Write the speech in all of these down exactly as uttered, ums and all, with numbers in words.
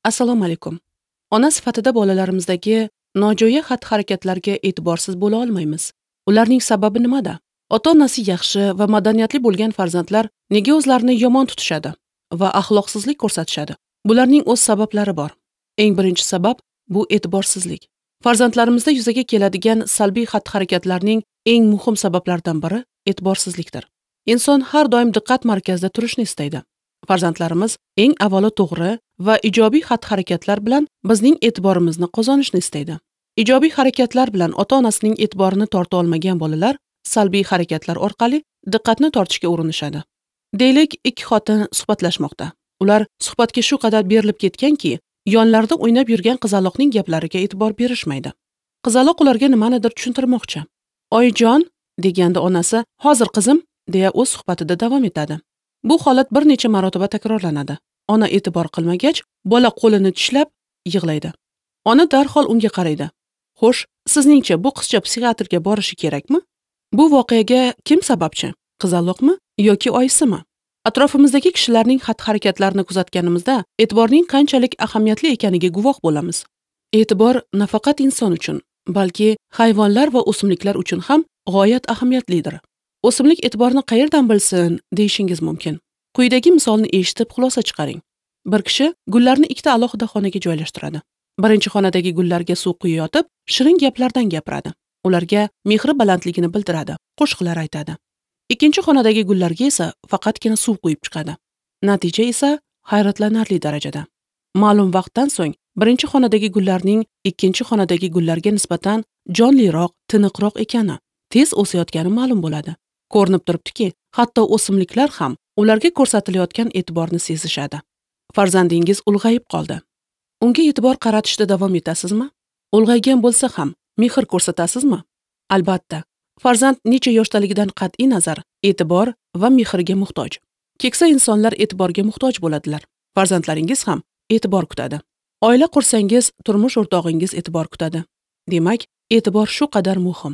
Assalomu alaykum. Ona sifatida bolalarimizdagi nojo'ya xatti-harakatlarga e'tiborsiz bo'la olmaymiz. Ularning sababi nimada? Ota-onasi yaxshi va madaniyatli bo'lgan farzandlar nega o'zlarini yomon tutishadi va axloqsizlik ko'rsatishadi? Bularning o'z sabablari bor. Eng birinchi sabab bu e'tiborsizlik. Farzandlarimizda yuzaga keladigan salbiy xatti-harakatlarning eng muhim sabablaridan biri e'tiborsizlikdir. Inson har doim diqqat markazida turishni istaydi. Farzandlarimiz eng avvalo to'g'ri va ijobiy xatti-harakatlar bilan bizning e'tiborimizni qozonishni istaydi. Ijobiy harakatlar bilan ota-onasining e'tiborini torta olmagan bolalar salbiy harakatlar orqali diqqatni tortishga urinishadi. Deylik, ikki xotin suhbatlashmoqda. Ular suhbatga shu qadar berilib ketganki, yonlarida o'ynab yurgan qizaloqning gaplariga e'tibor berishmaydi. Qizaloq ularga nimanidir tushuntirmoqchi. "Oyijon" deganda onasi, "Hozir qizim" deya o'z suhbatida davom etadi. Bu holat bir necha marotaba takrorlanadi. Ona e'tibor qilmagach, bola qo'lini tishlab yig'laydi. Ona darhol unga qaraydi. Xo'sh, sizningcha bu qizcha psixiatrga borishi kerakmi? Bu voqeaga kim sababchi? Qizaloqmi yoki oyisimi? Atrofimizdagi kishilarning xatti-harakatlarini kuzatganimizda e'tiborning qanchalik ahamiyatli ekaniga guvoh bo'lamiz. E'tibor nafaqat inson uchun, balki hayvonlar va o'simliklar uchun ham g'oyat ahamiyatlidir. O'simlik e'tiborni qayerdan bilsin deyishingiz mumkin. Quyidagi misolni eshitib xulosa chiqaring. Bir kishi gullarni ikkita alohida xonaga joylashtiradi. Birinchi xonadagi gullarga suv quyayotib, shirin gaplardan gapiradi. Ularga mehri balandligini bildiradi, qo'shiqlar aytadi. Ikkinchi xonadagi gullarga esa faqatgina suv quyib chiqadi. Natija esa hayratlanarli darajada. Ma'lum vaqtdan so'ng birinchi xonadagi gullarning ikkinchi xonadagi gullarga nisbatan jonliroq, tiniqroq ekani, tez o'sayotgani ma'lum bo'ladi. Ko'rinib turibdiki, hatto o'simliklar ham ularga ko'rsatilayotgan e'tiborni sezishadi. Farzandingiz ulg'ayib qoldi. Unga e'tibor qaratishda davom etasizmi? Ulg'aygan bo'lsa ham mehr ko'rsatasizmi? Albatta, farzand necha yoshdaligidan qat'iy nazar e'tibor va mehrga muhtoj. Keksa insonlar e'tiborga muhtoj bo'ladilar. Farzandlaringiz ham e'tibor kutadi. Oila qursangiz, turmush o'rtog'ingiz e'tibor kutadi. Demak, e'tibor shu qadar muhim.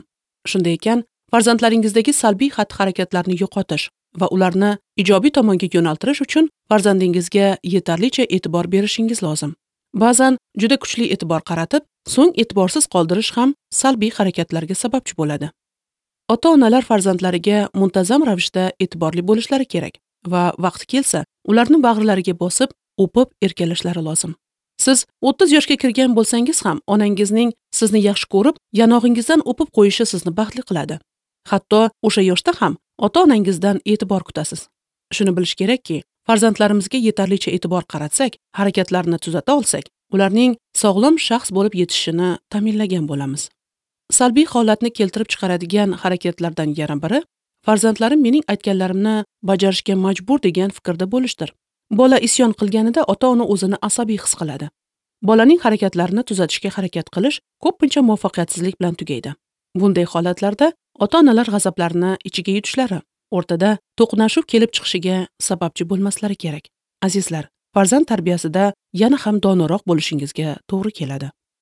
Shunday ekan, farzandlaringizdagi salbiy xatti-harakatlarni yo'qotish va ularni ijobiy tomonga yo'naltirish uchun farzandingizga yetarlicha e'tibor berishingiz lozim. Ba'zan juda kuchli e'tibor qaratib, so'ng e'tiborsiz qoldirish ham salbiy harakatlarga sababchi bo'ladi. Ota-onalar farzandlariga muntazam ravishda e'tiborli bo'lishlari kerak va vaqti kelsa, ularni bag'rilariga bosib, o'pib erkalashlari lozim. Siz o'ttiz yoshga kirgan bo'lsangiz ham onangizning sizni yaxshi ko'rib, yanog'ingizdan o'pib qo'yishi sizni baxtli qiladi. Hatto o'sha yoshda ham ota-onangizdan e'tibor kutasiz. Shuni bilish kerakki, farzandlarimizga yetarlicha e'tibor qaratsak, harakatlarini tuzata olsak, ularning sog'lom shaxs bo'lib yetishishini ta'minlagan bo'lamiz. Salbiy holatni keltirib chiqaradigan harakatlardan yana biri farzandlarim mening aytganlarimni bajarishga majbur degan fikrda bo'lishdir. Bola isyon qilganida ota-ona o'zini asabiy his qiladi. Bolaning harakatlarini tuzatishga harakat qilish ko'pincha muvaffaqiyatsizlik bilan tugaydi. Bunday holatlarda ota-onalar g'azablarini ichiga yutishlari, o'rtada to'qnashuv kelib chiqishiga sababchi bo'lmaslari kerak. Azizlar, farzand tarbiyasida yana ham donoroq bo'lishingizga to'g'ri keladi.